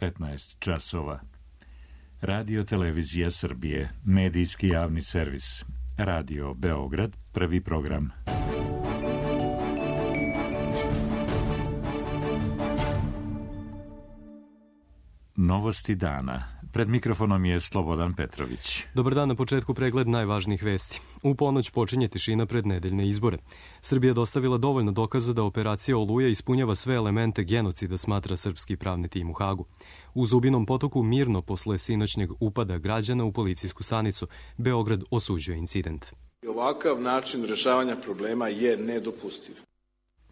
15 časova. Radio Televizija Srbije, medijski javni servis. Radio Beograd, prvi program. Novosti dana. Pred mikrofonom je Slobodan Petrović. Dobar dan, na početku pregled najvažnijih vesti. U ponoć počinje tišina pred nedeljne izbore. Srbija dostavila dovoljno dokaza da operacija Oluja ispunjava sve elemente genocida, smatra srpski pravni tim u Hagu. U Zubinom Potoku mirno posle sinoćnjeg upada građana u policijsku stanicu. Beograd osuđuje incident. Ovakav način rešavanja problema je nedopustiv.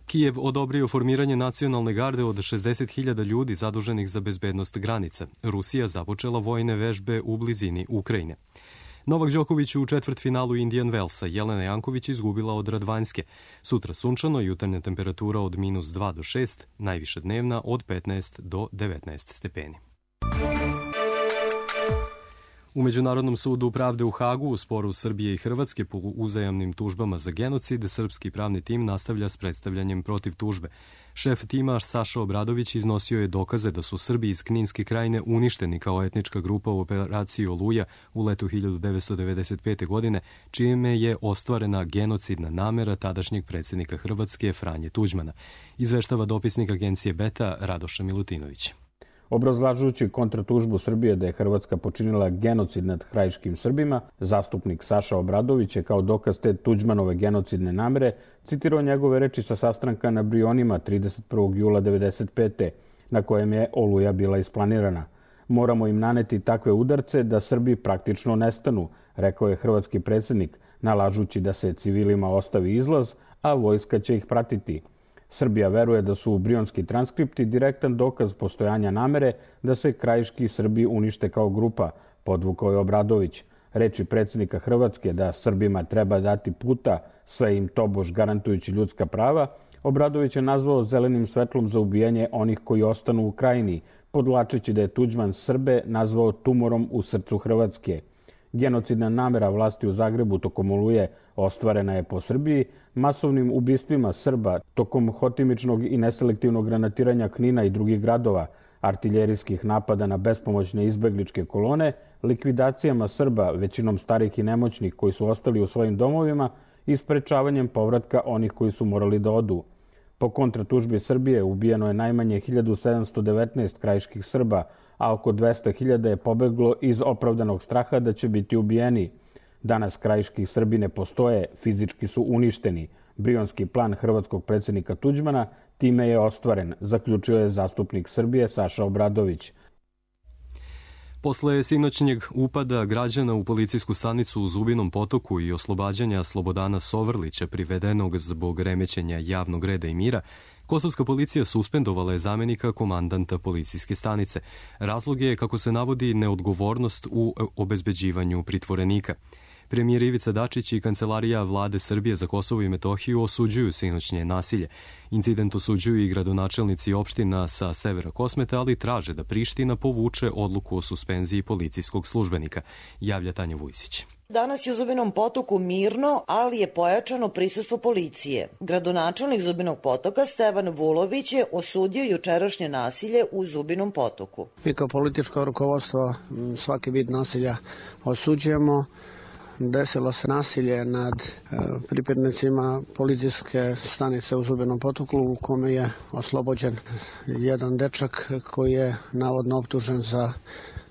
Kijev odobrio formiranje nacionalne garde od 60.000 ljudi zaduženih za bezbednost granica. Rusija započela vojne vežbe u blizini Ukrajine. Novak Đoković u četvrtfinalu Indian Wellsa, Jelena Janković izgubila od Radvanjske. Sutra sunčano, jutarnja temperatura od -2 do 6, najviša dnevna od 15 do 19 stepeni. U Međunarodnom sudu pravde u Hagu u sporu Srbije i Hrvatske po uzajamnim tužbama za genocid, srpski pravni tim nastavlja s predstavljanjem protiv tužbe. Šef tima Saša Obradović iznosio je dokaze da su Srbi iz Kninske krajine uništeni kao etnička grupa u operaciji Oluja u letu 1995. godine, čime je ostvarena genocidna namera tadašnjeg predsjednika Hrvatske Franje Tuđmana. Izveštava dopisnik agencije Beta Radoša Milutinović. Obrazlažujući kontratužbu Srbije da je Hrvatska počinila genocid nad krajiškim Srbima, zastupnik Saša Obradović je kao dokaz te Tuđmanove genocidne namere citirao njegove reči sa sastanka na Brionima 31. jula 1995. na kojem je Oluja bila isplanirana. Moramo im naneti takve udarce da Srbi praktično nestanu, rekao je hrvatski predsjednik, nalažući da se civilima ostavi izlaz, a vojska će ih pratiti. Srbija veruje da su brionski transkripti direktan dokaz postojanja namere da se krajiški Srbi unište kao grupa, podvukao je Obradović. Reči predsjednika Hrvatske da Srbima treba dati puta, sve im tobož garantujući ljudska prava, Obradović je nazvao zelenim svetlom za ubijanje onih koji ostanu u krajini, podvlačeći da je Tuđman Srbe nazvao tumorom u srcu Hrvatske. Genocidna namera vlasti u Zagrebu tokom Oluje ostvarena je po Srbiji, masovnim ubistvima Srba tokom hotimičnog i neselektivnog granatiranja Knina i drugih gradova, artiljerijskih napada na bespomoćne izbegličke kolone, likvidacijama Srba, većinom starih i nemoćnih koji su ostali u svojim domovima i sprečavanjem povratka onih koji su morali da odu. Po kontratužbi Srbije ubijeno je najmanje 1719 krajiških Srba, a oko 200.000 je pobeglo iz opravdanog straha da će biti ubijeni. Danas krajiški Srbi ne postoje, fizički su uništeni. Brionski plan hrvatskog predsjednika Tuđmana time je ostvaren, zaključio je zastupnik Srbije Saša Obradović. Posle sinoćnjeg upada građana u policijsku stanicu u Zubinom Potoku i oslobađanja Slobodana Sovrlića, privedenog zbog remećenja javnog reda i mira, kosovska policija suspendovala je zamenika komandanta policijske stanice. Razlog je, kako se navodi, neodgovornost u obezbeđivanju pritvorenika. Premijer Ivica Dačić i Kancelarija Vlade Srbije za Kosovo i Metohiju osuđuju sinoćnje nasilje. Incident osuđuju i gradonačelnici opština sa severa Kosmeta, ali traže da Priština povuče odluku o suspenziji policijskog službenika, javlja Tanja Vujsić. Danas je u Zubinom Potoku mirno, ali je pojačano prisustvo policije. Gradonačelnik Zubinog Potoka Stevan Vulović je osudio jučerašnje nasilje u Zubinom Potoku. Mi kao političko rukovodstvo svaki vid nasilja osuđujemo. Desilo se nasilje nad pripadnicima policijske stanice u Zubinom Potoku, u kome je oslobođen jedan dečak koji je navodno optužen za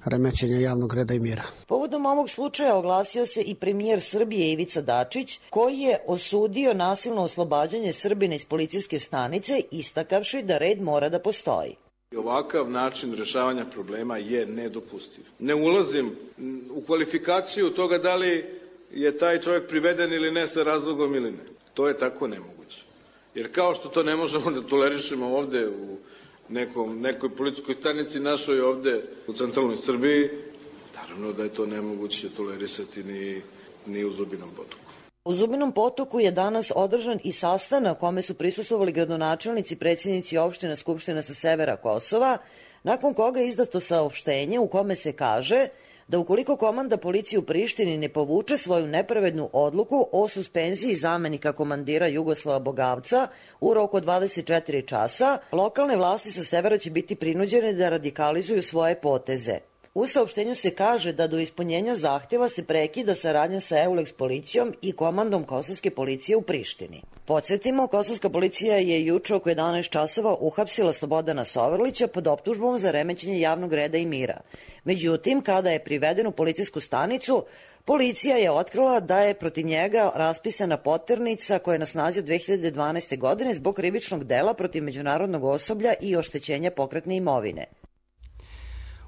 remećenje javnog reda i mira. Povodom ovog slučaja oglasio se i premijer Srbije Ivica Dačić, koji je osudio nasilno oslobađanje Srbina iz policijske stanice, istakavši da red mora da postoji. Ovakav način rešavanja problema je nedopustiv. Ne ulazim u kvalifikaciju toga da li je taj čovjek priveden ili ne sa razlogom ili ne. To je tako nemoguće. Jer kao što to ne možemo da tolerišemo ovde u nekoj policijskoj stanici našoj ovde u centralnoj Srbiji, naravno da je to nemoguće tolerisati ni u Zubinom Potoku. U Zubinom Potoku je danas održan i sastanak kome su prisustvovali gradonačelnici, predsjednici opština Skupština sa severa Kosova, nakon koga je izdato saopštenje u kome se kaže da ukoliko komanda policije u Prištini ne povuče svoju nepravednu odluku o suspenziji zamenika komandira Jugoslava Bogavca u roku od 24 časa, lokalne vlasti sa severa će biti prinuđene da radikalizuju svoje poteze. U saopštenju se kaže da do ispunjenja zahtjeva se prekida saradnja sa EULEX policijom i komandom kosovske policije u Prištini. Podsjetimo, kosovska policija je juče oko 11 časova uhapsila Slobodana Sovrlića pod optužbom za remećenje javnog reda i mira. Međutim, kada je priveden u policijsku stanicu, policija je otkrila da je protiv njega raspisana poternica koja je na snazi od 2012. godine zbog krivičnog dela protiv međunarodnog osoblja i oštećenja pokretne imovine.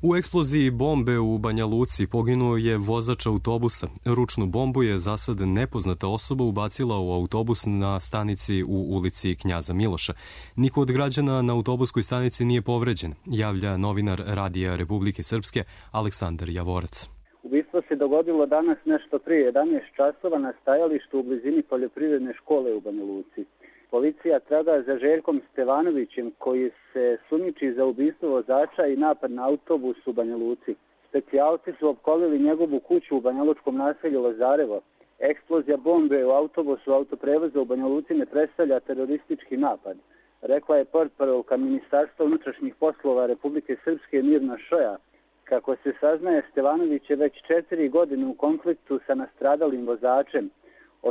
U eksploziji bombe u Banja Luci poginuo je vozač autobusa. Ručnu bombu je za sad nepoznata osoba ubacila u autobus na stanici u ulici Knjaza Miloša. Niko od građana na autobuskoj stanici nije povređen, javlja novinar Radija Republike Srpske Aleksandar Javorac. Ubistvo se dogodilo danas nešto prije 11 časova na stajalištu u blizini poljoprivredne škole u Banja Luci. Policija traga za Željkom Stevanovićem koji se sumnjiči za ubistvo vozača i napad na autobus u Banja Luci. Specijalci su opkolili njegovu kuću u banjalučkom naselju Lazarevo. Eksplozija bombe u autobusu autoprevoza u Banja Luci ne predstavlja teroristički napad, rekla je portparolka Ministarstva unutrašnjih poslova Republike Srpske Mirna Šoja. Kako se saznaje, Stevanović je već 4 godine u konfliktu sa nastradalim vozačem.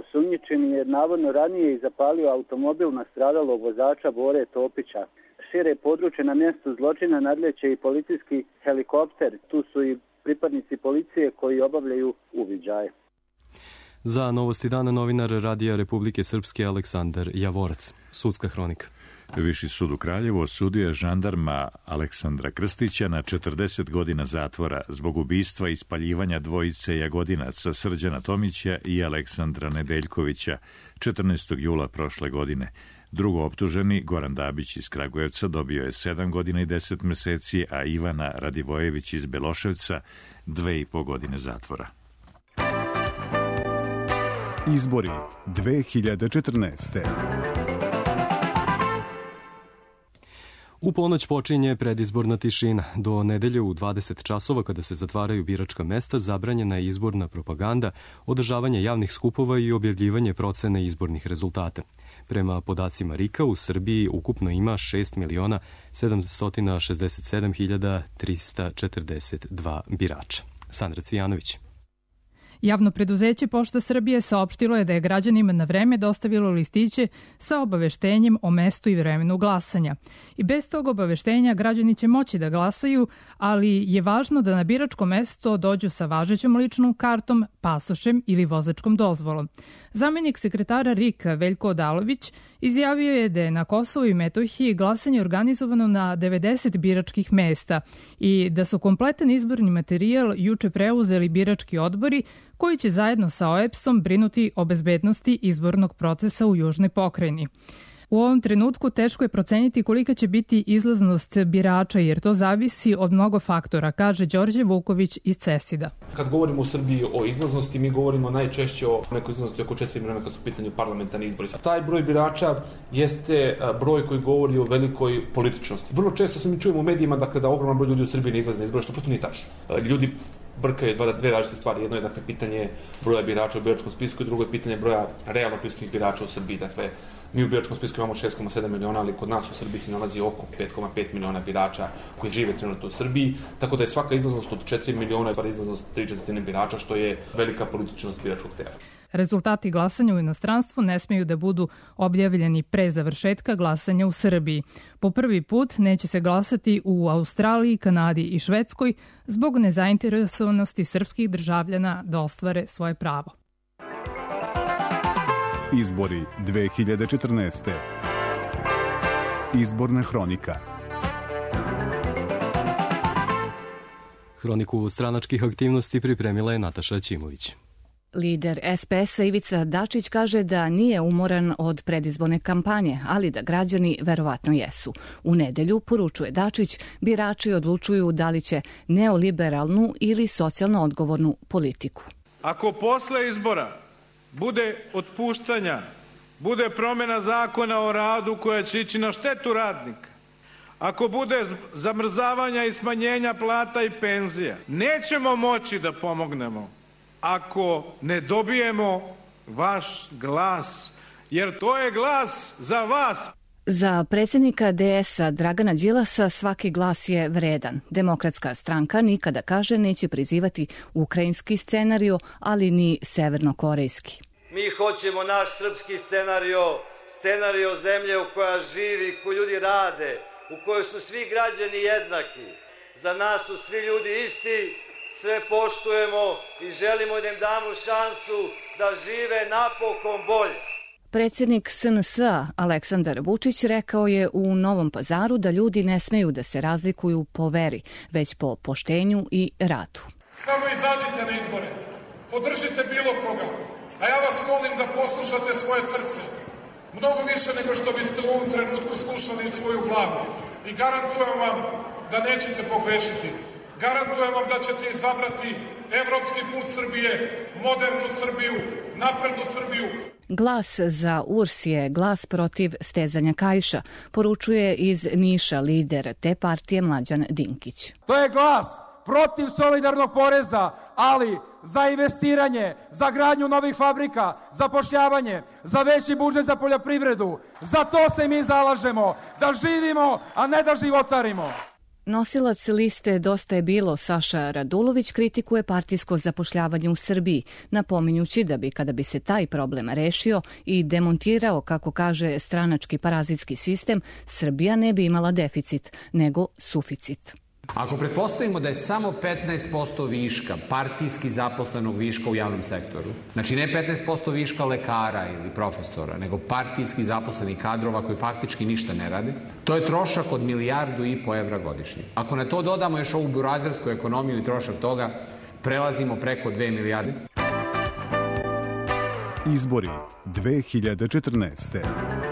Osumnjičeni je navodno ranije i zapalio automobil nastradalog vozača Bore Topića. Šire područje na mjestu zločina nadleće i policijski helikopter. Tu su i pripadnici policije koji obavljaju uviđaje. Za Novosti dana novinar Radija Republike Srpske Aleksandar Javorac. Sudska hronika. Viši sud u Kraljevu osudio je žandarma Aleksandra Krstića na 40 godina zatvora zbog ubistva i spaljivanja dvojice Jagodinaca Srđana Tomića i Aleksandra Nedeljkovića 14. jula prošle godine. Drugo optuženi, Goran Dabić iz Kragujevca, dobio je 7 godina i 10 meseci, a Ivana Radivojević iz Beloševca 2,5 godine zatvora. Izbori 2014. U ponoć počinje predizborna tišina. Do nedelje u 20 časova, kada se zatvaraju biračka mesta, zabranjena je izborna propaganda, održavanje javnih skupova i objavljivanje procene izbornih rezultata. Prema podacima RIK-a, u Srbiji ukupno ima 6.767.342 birača. Sandra Cvijanović. Javno preduzeće Pošta Srbije saopštilo je da je građanima na vreme dostavilo listiće sa obaveštenjem o mestu i vremenu glasanja. I bez tog obaveštenja građani će moći da glasaju, ali je važno da na biračko mesto dođu sa važećom ličnom kartom, pasošem ili vozačkom dozvolom. Zamenik sekretara RIK-a Veljko Odalović izjavio je da je na Kosovu i Metohiji glasanje organizovano na 90 biračkih mesta i da su kompletan izborni materijal juče preuzeli birački odbori koji će zajedno sa OEBS-om brinuti o bezbednosti izbornog procesa u Južnoj pokrajini. U ovom trenutku teško je proceniti kolika će biti izlaznost birača jer to zavisi od mnogo faktora, kaže Đorđe Vuković iz CESID-a. Kad govorimo u Srbiji o izlaznosti, mi govorimo najčešće o nekoj izlaznosti oko 4 miliona kad su u pitanju parlamentarni izbori. Taj broj birača jeste broj koji govori o velikoj političnosti. Vrlo često se mi čujemo u medijima da ogroman broj ljudi u Srbiji ne izlazi na izbore, što prosto nije tačno. Ljudi brkaju dve različite stvari. Jedno je pitanje broja birača u biračkom spisku i drugo je pitanje broja realno prisutnih birača u Srbiji. Mi u biračkom spisku imamo 6,7 miliona, ali kod nas u Srbiji se nalazi oko 5,5 miliona birača koji žive trenutno u Srbiji, tako da je svaka izlaznost od 4 miliona izlaznost 3/4 birača, što je velika političnost biračkog tela. Rezultati glasanja u inostranstvu ne smeju da budu objavljeni pre završetka glasanja u Srbiji. Po prvi put neće se glasati u Australiji, Kanadi i Švedskoj zbog nezainteresovanosti srpskih državljana da ostvare svoje pravo. Izbori 2014. Izborna hronika. Hroniku stranačkih aktivnosti pripremila je Nataša Ćimović. Lider SPS-a Ivica Dačić kaže da nije umoran od predizborne kampanje, ali da građani verovatno jesu. U nedelju, poručuje Dačić, birači odlučuju da li će neoliberalnu ili socijalno odgovornu politiku. Ako posle izbora bude otpuštanja, bude promjena zakona o radu koja će ići na štetu radnika, ako bude zamrzavanja i smanjenja plata i penzija, nećemo moći da pomognemo ako ne dobijemo vaš glas, jer to je glas za vas. Za predsjednika DS-a Dragana Đilasa svaki glas je vredan. Demokratska stranka nikada, kaže, neće prizivati ukrajinski scenario, ali ni severnokorejski. Mi hoćemo naš srpski scenario zemlje u koja živi, u kojoj ljudi rade, u kojoj su svi građani jednaki. Za nas su svi ljudi isti, sve poštujemo i želimo da im damo šansu da žive napokon bolje. Predsjednik SNS-a Aleksandar Vučić rekao je u Novom Pazaru da ljudi ne smeju da se razlikuju po veri, već po poštenju i radu. Samo izađite na izbore, podržite bilo koga, a ja vas molim da poslušate svoje srce. Mnogo više nego što biste u ovom trenutku slušali svoju glavu. I garantujem vam da nećete pogrešiti. Garantujem vam da ćete izabrati evropski put Srbije, modernu Srbiju, naprednu Srbiju. Glas za URS je glas protiv stezanja kaiša, poručuje iz Niša lider te partije Mlađan Dinkić. To je glas protiv solidarnog poreza, ali za investiranje, za gradnju novih fabrika, zapošljavanje, za veći budžet za poljoprivredu. Za to se mi zalažemo, da živimo, a ne da životarimo. Nosilac liste Dosta je bilo Saša Radulović kritikuje partijsko zapošljavanje u Srbiji, napominjući da bi, kada bi se taj problem rešio i demontirao, kako kaže, stranački parazitski sistem, Srbija ne bi imala deficit, nego suficit. Ako pretpostavimo da je samo 15% viška, partijski zaposlenog viška u javnom sektoru, znači ne 15% viška lekara ili profesora, nego partijski zaposlenih kadrova koji faktički ništa ne rade, to je trošak od 1,5 milijardu evra godišnje. Ako na to dodamo još ovu burazersku ekonomiju i trošak toga, prelazimo preko 2 milijarde. Izbori 2014.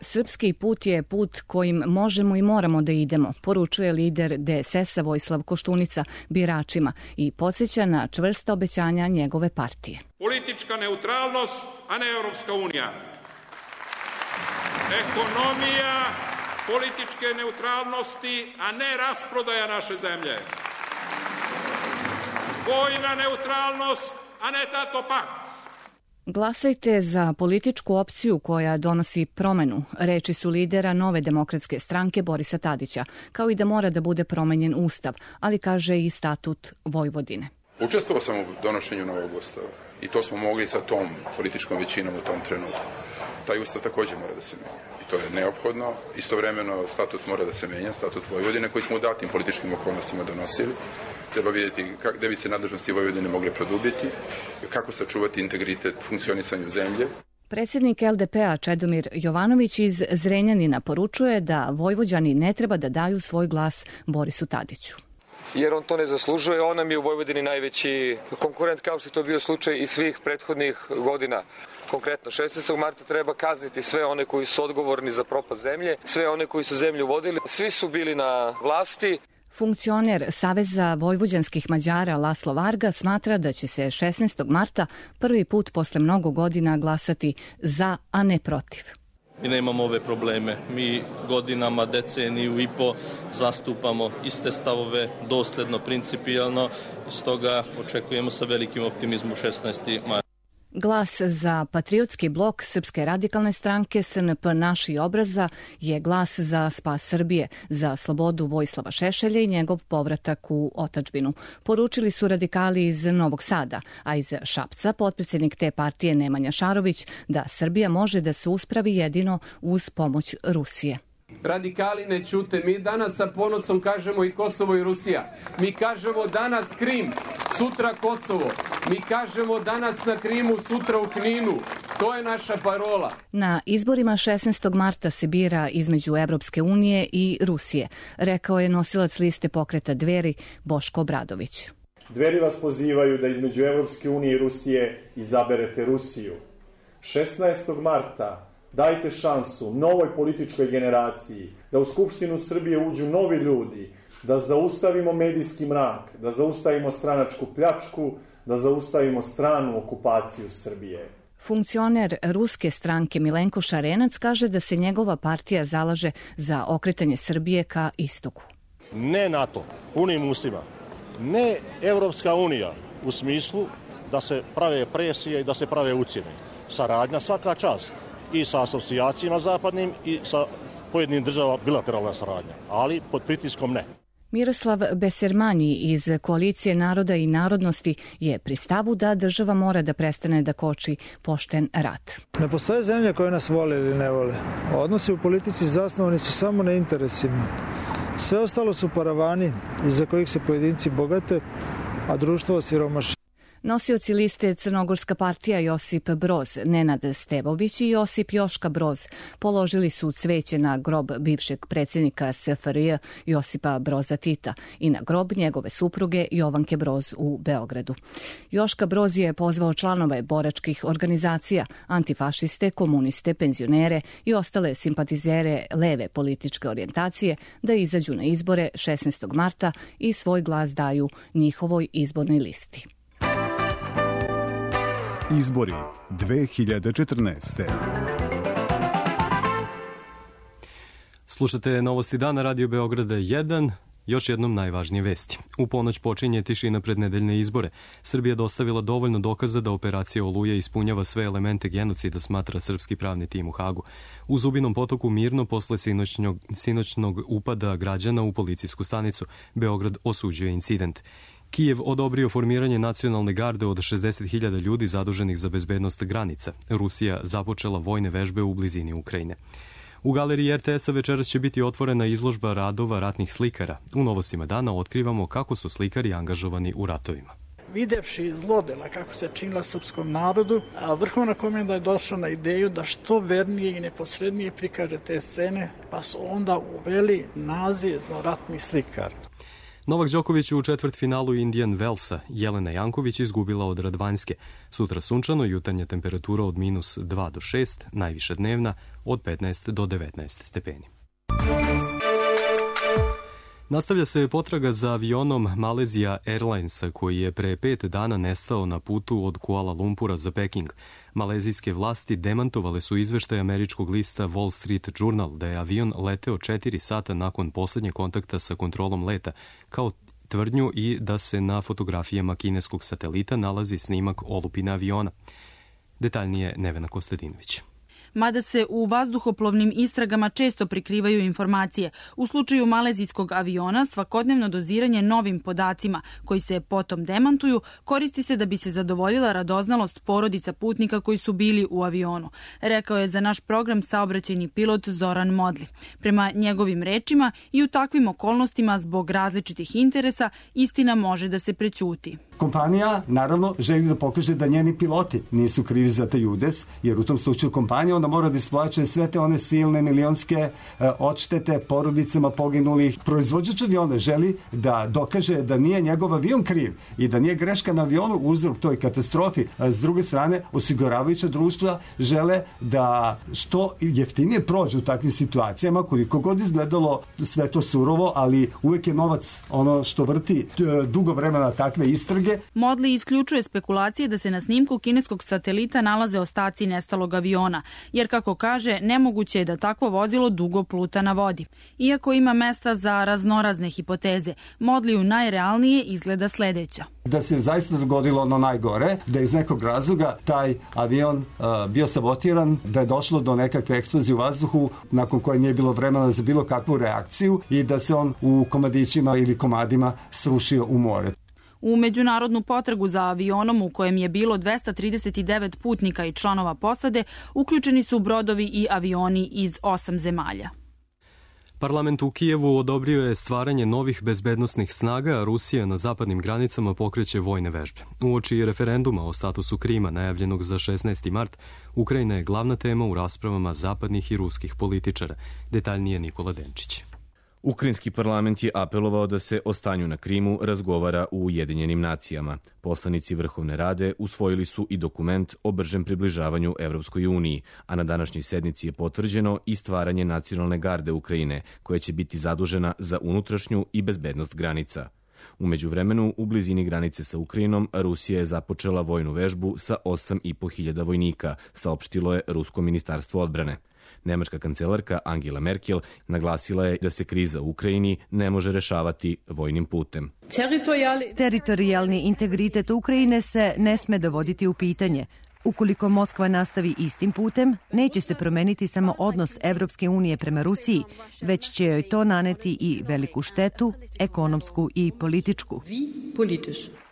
Srpski put je put kojim možemo i moramo da idemo, poručuje lider DSS-a Vojislav Koštunica biračima i podsjeća na čvrsta obećanja njegove partije. Politička neutralnost, a ne Europska unija. Ekonomija političke neutralnosti, a ne rasprodaja naše zemlje. Vojna neutralnost, a ne NATO pakt. Glasajte za političku opciju koja donosi promenu, reči su lidera Nove demokratske stranke Borisa Tadića, kao i da mora da bude promenjen ustav, ali kaže i statut Vojvodine. Učestvovao sam u donošenju novog ustava i to smo mogli sa tom političkom većinom u tom trenutku. Taj ustav također mora da se menja i to je neophodno. Istovremeno statut mora da se menja, statut Vojvodine koji smo u datim političkim okolnostima donosili. Treba vidjeti gde bi se nadležnosti Vojvodine mogle produbiti, kako sačuvati integritet funkcionisanju zemlje. Predsjednik LDP-a Čedomir Jovanović iz Zrenjanina poručuje da Vojvođani ne treba da daju svoj glas Borisu Tadiću. Jer on to ne zaslužuje, on nam je u Vojvodini najveći konkurent, kao što je to bio slučaj i svih prethodnih godina. Konkretno, 16. marta treba kazniti sve one koji su odgovorni za propast zemlje, sve one koji su zemlju vodili, svi su bili na vlasti. Funkcioner Saveza vojvođanskih Mađara Laslo Varga smatra da će se 16. marta prvi put posle mnogo godina glasati za, a ne protiv. Mi nemamo ove probleme. Mi godinama, deceniju i po zastupamo iste stavove, dosledno, principijalno. Stoga očekujemo sa velikim optimizmom 16. marta. Glas za patriotski blok Srpske radikalne stranke SNP Naši obraza je glas za spas Srbije, za slobodu Vojislava Šešelja i njegov povratak u otadžbinu. Poručili su radikali iz Novog Sada, a iz Šapca potpredsjednik te partije Nemanja Šarović da Srbija može da se uspravi jedino uz pomoć Rusije. Radikali ne ćute. Mi danas sa ponosom kažemo i Kosovo i Rusija. Mi kažemo danas Krim, sutra Kosovo. Mi kažemo danas na Krimu, sutra u Kninu. To je naša parola. Na izborima 16. marta se bira između Evropske unije i Rusije, rekao je nosilac liste pokreta Dveri Boško Obradović. Dveri vas pozivaju da između Evropske unije i Rusije izaberete Rusiju. 16. marta dajte šansu novoj političkoj generaciji da u Skupštinu Srbije uđu novi ljudi, da zaustavimo medijski mrak, da zaustavimo stranačku pljačku, da zaustavimo stranu okupaciju Srbije. Funkcioner ruske stranke Milenko Šarenac kaže da se njegova partija zalaže za okretanje Srbije ka istoku. Ne NATO, punim ustima, ne Evropska unija u smislu da se prave presije i da se prave ucjene. Saradnja svaka čast i sa asocijacijama zapadnim i sa pojedinim državama bilateralna saradnja, ali pod pritiskom ne. Miroslav Besermanji iz Koalicije naroda i narodnosti je pri stavu da država mora da prestane da koči pošten rat. Ne postoje zemlje koje nas vole ili ne vole. Odnosi u politici zasnovani su samo na interesima. Sve ostalo su paravani iza kojih se pojedinci bogate, a društvo osiromaši. Nosioci liste Crnogorska partija Josip Broz, Nenad Stevović i Josip Joška Broz položili su cveće na grob bivšeg predsjednika SFRJ Josipa Broza Tita i na grob njegove supruge Jovanke Broz u Beogradu. Joška Broz je pozvao članove boračkih organizacija, antifašiste, komuniste, penzionere i ostale simpatizere leve političke orijentacije da izađu na izbore 16. marta i svoj glas daju njihovoj izbornoj listi. Izbori 2014. Slušate Novosti dana, Radio Beograda 1. Još jednom najvažnije vesti. U ponoć počinje tišina pred nedeljne izbore. Srbija dostavila dovoljno dokaza da operacija Oluja ispunjava sve elemente genocida, smatra srpski pravni tim u Hagu. U Zubinom Potoku mirno posle sinoćnog upada građana u policijsku stanicu. Beograd osuđuje incident. Kijev odobrio formiranje nacionalne garde od 60.000 ljudi zaduženih za bezbednost granica. Rusija započela vojne vežbe u blizini Ukrajine. U galeriji RTS-a večeras će biti otvorena izložba radova ratnih slikara. U Novostima dana otkrivamo kako su slikari angažovani u ratovima. Videvši zlodela kako se činila srpskom narodu, a vrhovna komenda je došla na ideju da što vernije i neposrednije prikaže te scene, pa su onda uveli naziv ratni slikar. Novak Đoković u četvrtfinalu Indian Wellsa, Jelena Janković izgubila od Radvanjske. Sutra sunčano, jutarnja temperatura od -2 do 6, najviša dnevna od 15 do 19 stepeni. Nastavlja se potraga za avionom Malaysia Airlinesa koji je pre 5 dana nestao na putu od Kuala Lumpura za Peking. Malezijske vlasti demantovale su izveštaj američkog lista Wall Street Journal da je avion leteo 4 sata nakon poslednjeg kontakta sa kontrolom leta, kao tvrdnju i da se na fotografijama kineskog satelita nalazi snimak olupine aviona. Detaljnije Nevena Kostadinović. Mada se u vazduhoplovnim istragama često prikrivaju informacije. U slučaju malezijskog aviona svakodnevno doziranje novim podacima koji se potom demantuju koristi se da bi se zadovoljila radoznalost porodica putnika koji su bili u avionu, rekao je za naš program saobraćajni pilot Zoran Modli. Prema njegovim rečima i u takvim okolnostima zbog različitih interesa istina može da se prećuti. Kompanija naravno želi da pokaže da njeni piloti nisu krivi za taj udes, jer u tom slučaju kompanija onda mora da isplaćuje sve te one silne milionske odštete porodicama poginulih. Proizvođač aviona želi da dokaže da nije njegov avion kriv i da nije greška na avionu uzrok toj katastrofi. S druge strane, osiguravajuća društva žele da što jeftinije prođu u takvim situacijama, koliko god izgledalo sve to surovo, ali uvek je novac ono što vrti dugo vremena takve istrage. Modli isključuje spekulacije da se na snimku kineskog satelita nalaze ostaci nestalog aviona, jer kako kaže, nemoguće je da takvo vozilo dugo pluta na vodi. Iako ima mesta za raznorazne hipoteze, Modliju najrealnije izgleda sledeća. Da se zaista dogodilo ono najgore, da je iz nekog razloga taj avion bio sabotiran, da je došlo do nekakve eksplozije u vazduhu nakon koje nije bilo vremena za bilo kakvu reakciju i da se on u komadićima ili komadima srušio u more. U međunarodnu potragu za avionom u kojem je bilo 239 putnika i članova posade uključeni su brodovi i avioni iz 8 zemalja. Parlament u Kijevu odobrio je stvaranje novih bezbednosnih snaga, a Rusija na zapadnim granicama pokreće vojne vežbe. Uoči referenduma o statusu Krima najavljenog za 16. mart, Ukrajina je glavna tema u raspravama zapadnih i ruskih političara. Detaljnije Nikola Denčić. Ukrajinski parlament je apelovao da se o stanju na Krimu razgovara u Ujedinjenim nacijama. Poslanici Vrhovne rade usvojili su i dokument o bržem približavanju Evropskoj uniji, a na današnjoj sednici je potvrđeno i stvaranje nacionalne garde Ukrajine, koja će biti zadužena za unutrašnju i bezbednost granica. U međuvremenu, u blizini granice sa Ukrajinom, Rusija je započela vojnu vežbu sa 8.500 vojnika, saopštilo je Rusko ministarstvo odbrane. Nemačka kancelarka Angela Merkel naglasila je da se kriza u Ukrajini ne može rešavati vojnim putem. Teritorijalni integritet Ukrajine se ne sme dovoditi u pitanje. Ukoliko Moskva nastavi istim putem, neće se promeniti samo odnos Evropske unije prema Rusiji, već će joj to naneti i veliku štetu, ekonomsku i političku.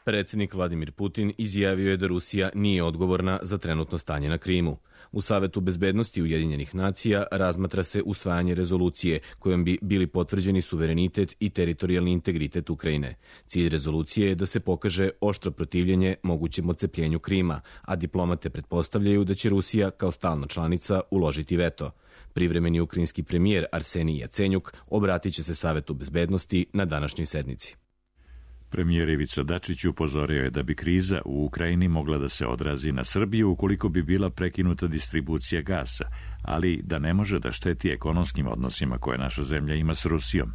Predsjednik Vladimir Putin izjavio je da Rusija nije odgovorna za trenutno stanje na Krimu. U Savetu bezbednosti Ujedinjenih nacija razmatra se usvajanje rezolucije kojom bi bili potvrđeni suverenitet i teritorijalni integritet Ukrajine. Cilj rezolucije je da se pokaže oštro protivljenje mogućem odcepljenju Krima, a diplomate pretpostavljaju da će Rusija kao stalna članica uložiti veto. Privremeni ukrajinski premijer Arsenij Jacenjuk obratit će se Savetu bezbednosti na današnjoj sednici. Premijer Ivica Dačić upozorio je da bi kriza u Ukrajini mogla da se odrazi na Srbiju ukoliko bi bila prekinuta distribucija gasa, ali da ne može da šteti ekonomskim odnosima koje naša zemlja ima s Rusijom.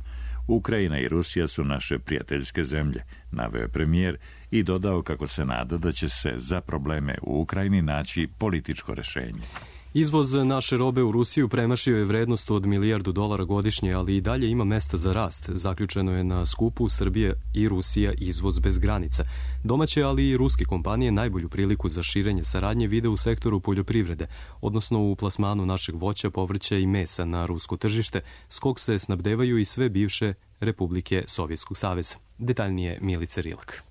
Ukrajina i Rusija su naše prijateljske zemlje, naveo je premijer i dodao kako se nada da će se za probleme u Ukrajini naći političko rešenje. Izvoz naše robe u Rusiju premašio je vrednost od $1 milijardu godišnje, ali i dalje ima mesta za rast. Zaključeno je na skupu Srbije i Rusija izvoz bez granica. Domaće, ali i ruske kompanije najbolju priliku za širenje saradnje vide u sektoru poljoprivrede, odnosno u plasmanu našeg voća, povrća i mesa na rusko tržište, s kog se snabdevaju i sve bivše republike Sovjetskog saveza. Detaljnije Milica Rilak.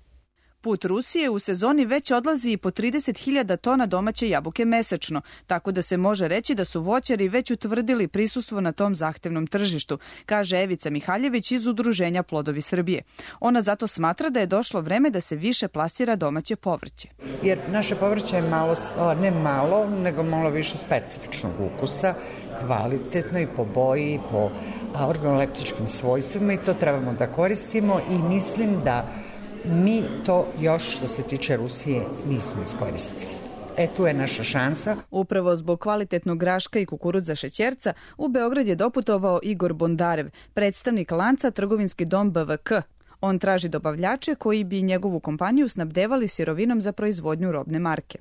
Put Rusije u sezoni već odlazi i po 30.000 tona domaće jabuke mesečno, tako da se može reći da su voćari već utvrdili prisustvo na tom zahtevnom tržištu, kaže Evica Mihaljević iz Udruženja Plodovi Srbije. Ona zato smatra da je došlo vreme da se više plasira domaće povrće. Jer naše povrće je malo više specifičnog ukusa, kvalitetno i po boji, i po organoleptičkim svojstvima i to trebamo da koristimo i mislim da mi to još što se tiče Rusije nismo iskoristili. Tu je naša šansa. Upravo zbog kvalitetnog graška i kukuruza šećerca u Beograd je doputovao Igor Bondarev, predstavnik lanca Trgovinski dom BVK. On traži dobavljače koji bi njegovu kompaniju snabdevali sirovinom za proizvodnju robne marke.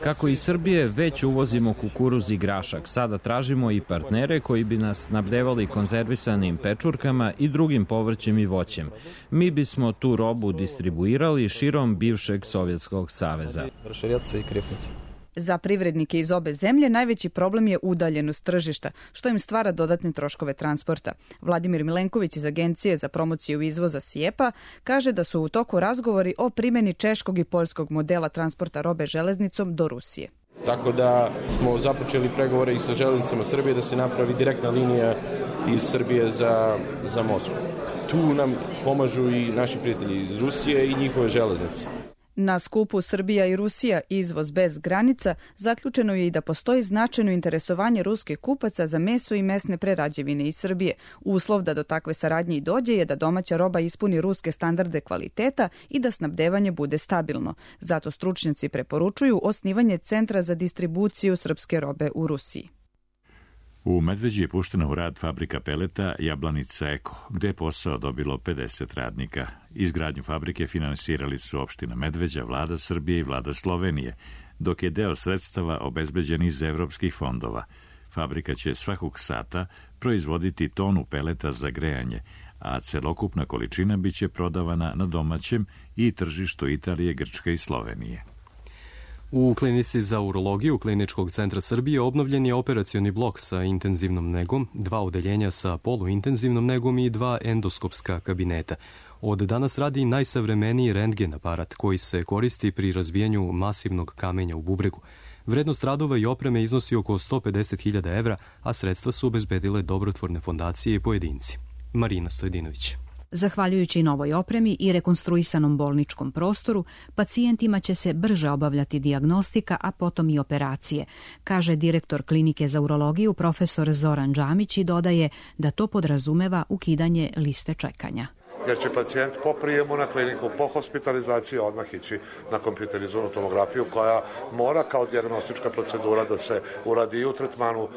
Kako iz Srbije već uvozimo kukuruz i grašak, sada tražimo i partnere koji bi nas snabdevali konzervisanim pečurkama i drugim povrćem i voćem. Mi bismo tu robu distribuirali širom bivšeg Sovjetskog saveza. Za privrednike iz obe zemlje najveći problem je udaljenost tržišta, što im stvara dodatne troškove transporta. Vladimir Milenković iz Agencije za promociju izvoza SIEPA kaže da su u toku razgovori o primjeni češkog i poljskog modela transporta robe železnicom do Rusije. Tako da smo započeli pregovore i sa železnicama Srbije da se napravi direktna linija iz Srbije za Moskvu. Tu nam pomažu i naši prijatelji iz Rusije i njihove železnice. Na skupu Srbija i Rusija izvoz bez granica zaključeno je i da postoji značajno interesovanje ruskih kupaca za meso i mesne prerađevine iz Srbije. Uslov da do takve saradnje i dođe je da domaća roba ispuni ruske standarde kvaliteta i da snabdevanje bude stabilno. Zato stručnjaci preporučuju osnivanje centra za distribuciju srpske robe u Rusiji. U Medveđi je puštena u rad fabrika peleta Jablanica Eko, gde je posao dobilo 50 radnika. Izgradnju fabrike finansirali su opština Medveđa, vlada Srbije i vlada Slovenije, dok je deo sredstava obezbeđen iz evropskih fondova. Fabrika će svakog sata proizvoditi tonu peleta za grejanje, a celokupna količina biće prodavana na domaćem i tržištu Italije, Grčke i Slovenije. U klinici za urologiju Kliničkog centra Srbije obnovljen je operacioni blok sa intenzivnom negom, 2 odeljenja sa poluintenzivnom negom i 2 endoskopska kabineta. Od danas radi najsavremeniji rentgen aparat koji se koristi pri razbijanju masivnog kamenja u bubregu. Vrednost radova i opreme iznosi oko 150.000 evra, a sredstva su obezbedile dobrotvorne fondacije i pojedinci. Marina Stojedinović. Zahvaljujući novoj opremi i rekonstruisanom bolničkom prostoru, pacijentima će se brže obavljati dijagnostika, a potom i operacije, kaže direktor Klinike za urologiju profesor Zoran Džamić i dodaje da to podrazumeva ukidanje liste čekanja. jer će pacijent po prijemu na kliniku, po hospitalizaciji odmah ići na kompjuterizovanu tomografiju koja mora kao dijagnostička procedura da se uradi i u tretmanu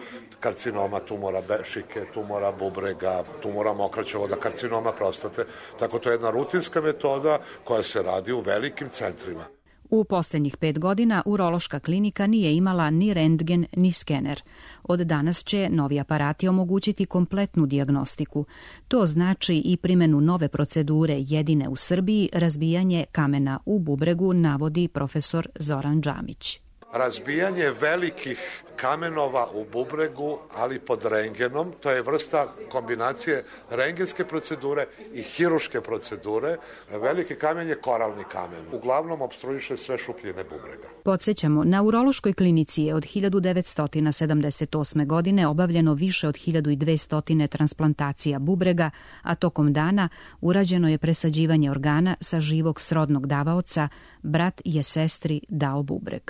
karcinoma, tumora šike, tumora bubrega, tumora mokraćevoda, karcinoma prostate. Tako to je jedna rutinska metoda koja se radi u velikim centrima. U posljednjih 5 godina urološka klinika nije imala ni rentgen ni skener. Od danas će novi aparati omogućiti kompletnu dijagnostiku. To znači i primjenu nove procedure jedine u Srbiji, razbijanje kamena u bubregu, navodi profesor Zoran Džamić. Razbijanje velikih kamenova u bubregu, ali pod rentgenom, to je vrsta kombinacije rentgenske procedure i hiruške procedure. Veliki kamen je koralni kamen. Uglavnom opstruiše sve šupljine bubrega. Podsjećamo, na urološkoj klinici je od 1978. godine obavljeno više od 1200 transplantacija bubrega, a tokom dana urađeno je presađivanje organa sa živog srodnog davaoca, brat je sestri dao bubreg.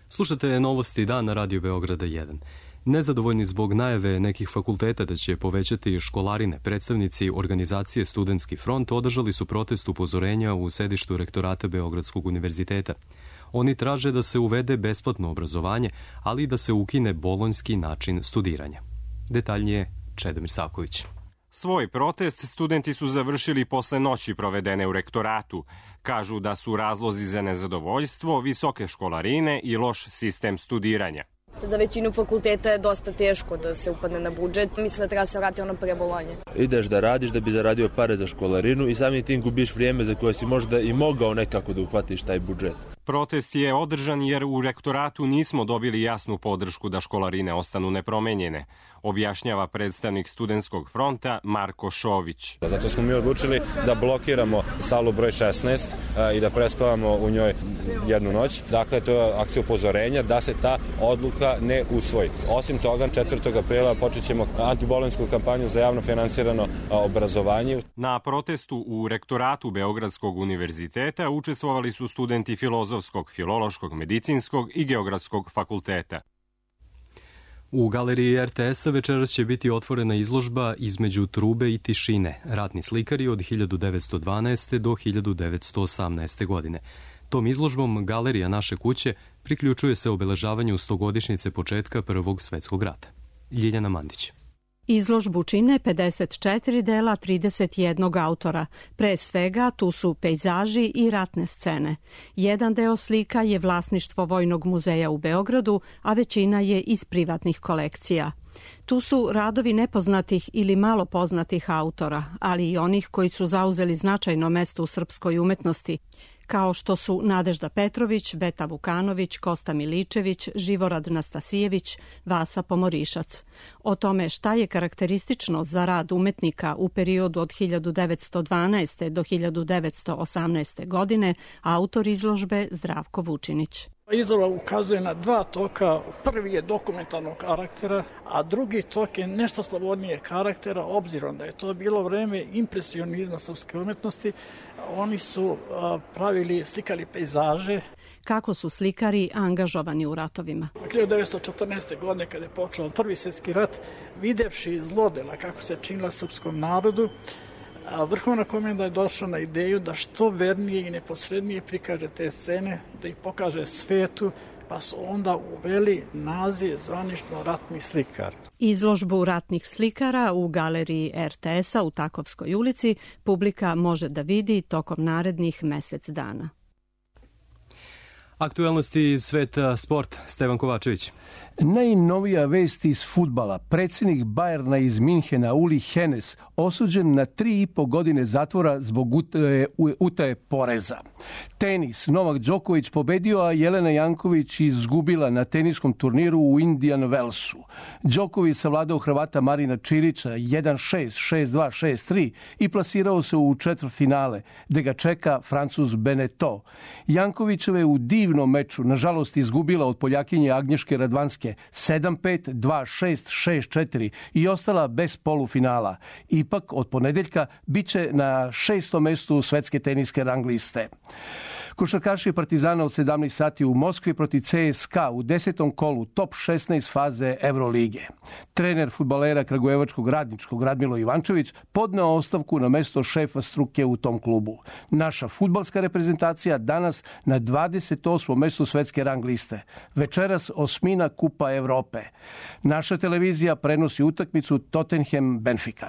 Slušate novosti dan na Radio Beograda 1. Nezadovoljni zbog najave nekih fakulteta da će povećati školarine, predstavnici organizacije Studentski front održali su protest upozorenja u sedištu rektorata Beogradskog univerziteta. Oni traže da se uvede besplatno obrazovanje, ali i da se ukine bolonjski način studiranja. Detaljnije Čedomir Savković. Svoj protest studenti su završili posle noći provedene u rektoratu. Kažu da su razlozi za nezadovoljstvo visoke školarine i loš sistem studiranja. Za većinu fakulteta je dosta teško da se upadne na budžet. Mislim da treba se vrati ono pre Bolonje. Ideš da radiš da bi zaradio pare za školarinu i samim tim gubiš vrijeme za koje si možda i mogao nekako da uhvatiš taj budžet. Protest je održan jer u rektoratu nismo dobili jasnu podršku da školarine ostanu nepromenjene, objašnjava predstavnik Studentskog fronta Marko Šović. Zato smo mi odlučili da blokiramo salu broj 16 i da prespavamo u njoj jednu noć. Dakle, to je akcija upozorenja da se ta odluka ne usvoji. Osim toga, 4. aprila počet ćemo antibolonjsku kampanju za javno finansirano obrazovanje. Na protestu u rektoratu Beogradskog univerziteta učestvovali su studenti Filozofskog, Filološkog, Medicinskog i Geografskog fakulteta. U galeriji RTS-a večeras će biti otvorena izložba Između trube i tišine, ratni slikari od 1912. do 1918. godine. Tom izložbom Galerija naše kuće priključuje se obeležavanju 100-godišnjice početka Prvog svjetskog rata. Ljiljana Mandić. Izložbu čine 54 dela 31 autora. Pre svega tu su pejzaži i ratne scene. Jedan deo slika je vlasništvo Vojnog muzeja u Beogradu, a većina je iz privatnih kolekcija. Tu su radovi nepoznatih ili malo poznatih autora, ali i onih koji su zauzeli značajno mesto u srpskoj umetnosti, kao što su Nadežda Petrović, Beta Vukanović, Kosta Miličević, Živorad Nastasijević, Vasa Pomorišac. O tome šta je karakteristično za rad umetnika u periodu od 1912. do 1918. godine, autor izložbe Zdravko Vučinić. Izložba ukazuje na dva toka. Prvi je dokumentarnog karaktera, a drugi tok je nešto slobodnije karaktera, obzirom da je to bilo vreme impresionizma srpske umetnosti. Oni su slikali pejzaže. Kako su slikari angažovani u ratovima? 1914. godine, kada je počeo Prvi svjetski rat, videvši zlodela kako se činila srpskom narodu, Vrhovna komenda je došla na ideju da što vernije i neposrednije prikaže te scene, da ih pokaže svetu, pa su onda uveli naziv zvanično ratni slikar. Izložbu ratnih slikara u galeriji RTS-a u Takovskoj ulici publika može da vidi tokom narednih mesec dana. Aktuelnosti iz sveta sport, Stevan Kovačević. Najnovija vest iz fudbala. Predsjednik Bayerna iz Minhena, Uli Hoeneß, osuđen na 3,5 godine zatvora zbog utaje poreza. Tenis. Novak Đoković pobedio, a Jelena Janković izgubila na teniskom turniru u Indian Wellsu. Đoković savladao Hrvata Marina Čirića 1-6, 6-2, 6-3 i plasirao se u četvrtfinale, gde ga čeka Francuz Beneteau. Jankovićeva je u divnom meču, nažalost, izgubila od Poljakinje Agnješke Radvanske 7-5, 2-6, 6-4 i ostala bez polufinala. Ipak od ponedeljka biće na 6. mestu svetske teniske rang liste. Košarkaši Partizana od 17 sati u Moskvi protiv CSKA u 10. kolu top 16 faze Evrolige. Trener fudbalera kragujevačkog Radničkog Radmilo Ivančević podneo ostavku na mesto šefa struke u tom klubu. Naša fudbalska reprezentacija danas na 28. mestu svetske rang liste. Večeras osmina Kupa Evrope. Naša televizija prenosi utakmicu Tottenham-Benfica.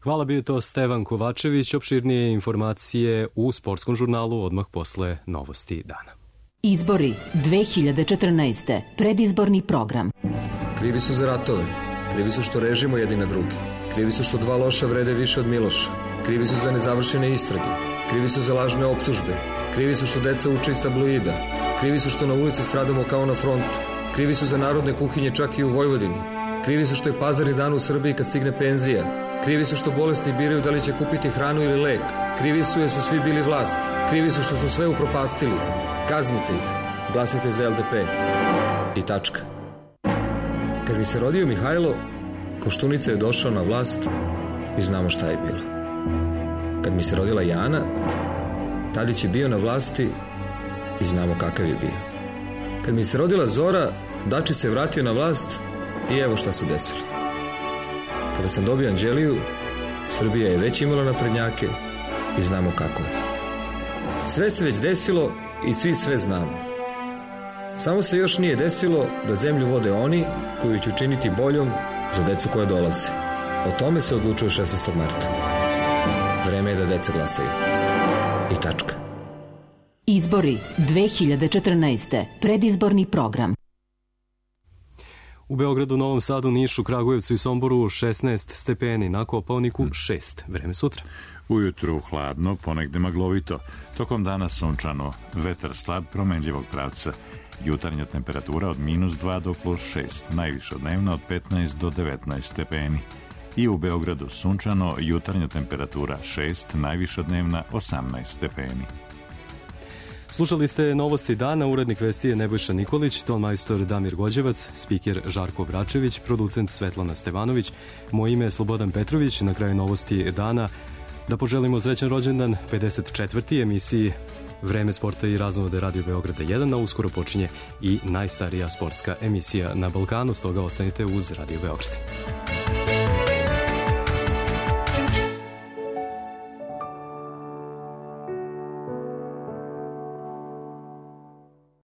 Hvala, bio to Stevan Kovačević. Opširnije informacije u sportskom žurnalu odmah posle novosti dana. Izbori 2014. Predizborni program. Krivi su za ratove. Krivi su što režimo jedni na drugi. Krivi su što dva loša vrede više od Miloša. Krivi su za nezavršene istrage. Krivi su za lažne optužbe. Krivi su što deca uče iz tabloida. Krivi su što na ulici stradamo kao na frontu. Krivi su za narodne kuhinje čak i u Vojvodini. Krivi su što je pazarni dan u Srbiji kad stigne penzija. Krivi su što bolesni biraju da li će kupiti hranu ili lek. Krivi su jer su svi bili vlast. Krivi su što su sve upropastili. Kaznite ih. Glasajte za LDP. I tačka. Kad mi se rodio Mihajlo, Koštunica je došao na vlast i znamo šta je bilo. Kad mi se rodila Jana, Tadić je bio na vlasti i znamo kakav je bio. Kad mi se rodila Zora, Dačić se vratio na vlast i evo šta se desilo. Kada sam dobio Anđeliju, Srbija je već imala naprednjake i znamo kako je. Sve se već desilo i svi sve znamo. Samo se još nije desilo da zemlju vode oni koji će učiniti boljom za decu koja dolaze. O tome se odlučuje 16. marta. Vreme je da deca glasaju. I tačka. Izbori 2014. Predizborni program. U Beogradu, Novom Sadu, Nišu, Kragujevcu i Somboru 16 stepeni, na Kopaoniku 6. Vreme sutra. Ujutru hladno, ponegde maglovito. Tokom dana sunčano, vetar slab promenljivog pravca. Jutarnja temperatura od -2 do +6, najviša dnevna od 15 do 19 stepeni. I u Beogradu sunčano, jutarnja temperatura 6, najviša dnevna 18 stepeni. Slušali ste novosti dana, urednik vesti je Nebojša Nikolić, ton majstor Damir Gođevac, spiker Žarko Bračević, producent Svetlana Stevanović, moje ime je Slobodan Petrović. Na kraju novosti dana da poželimo srećan rođendan 54. emisiji Vreme sporta i raznovode Radio Beograda 1, a uskoro počinje i najstarija sportska emisija na Balkanu, stoga ostanite uz Radio Beograd.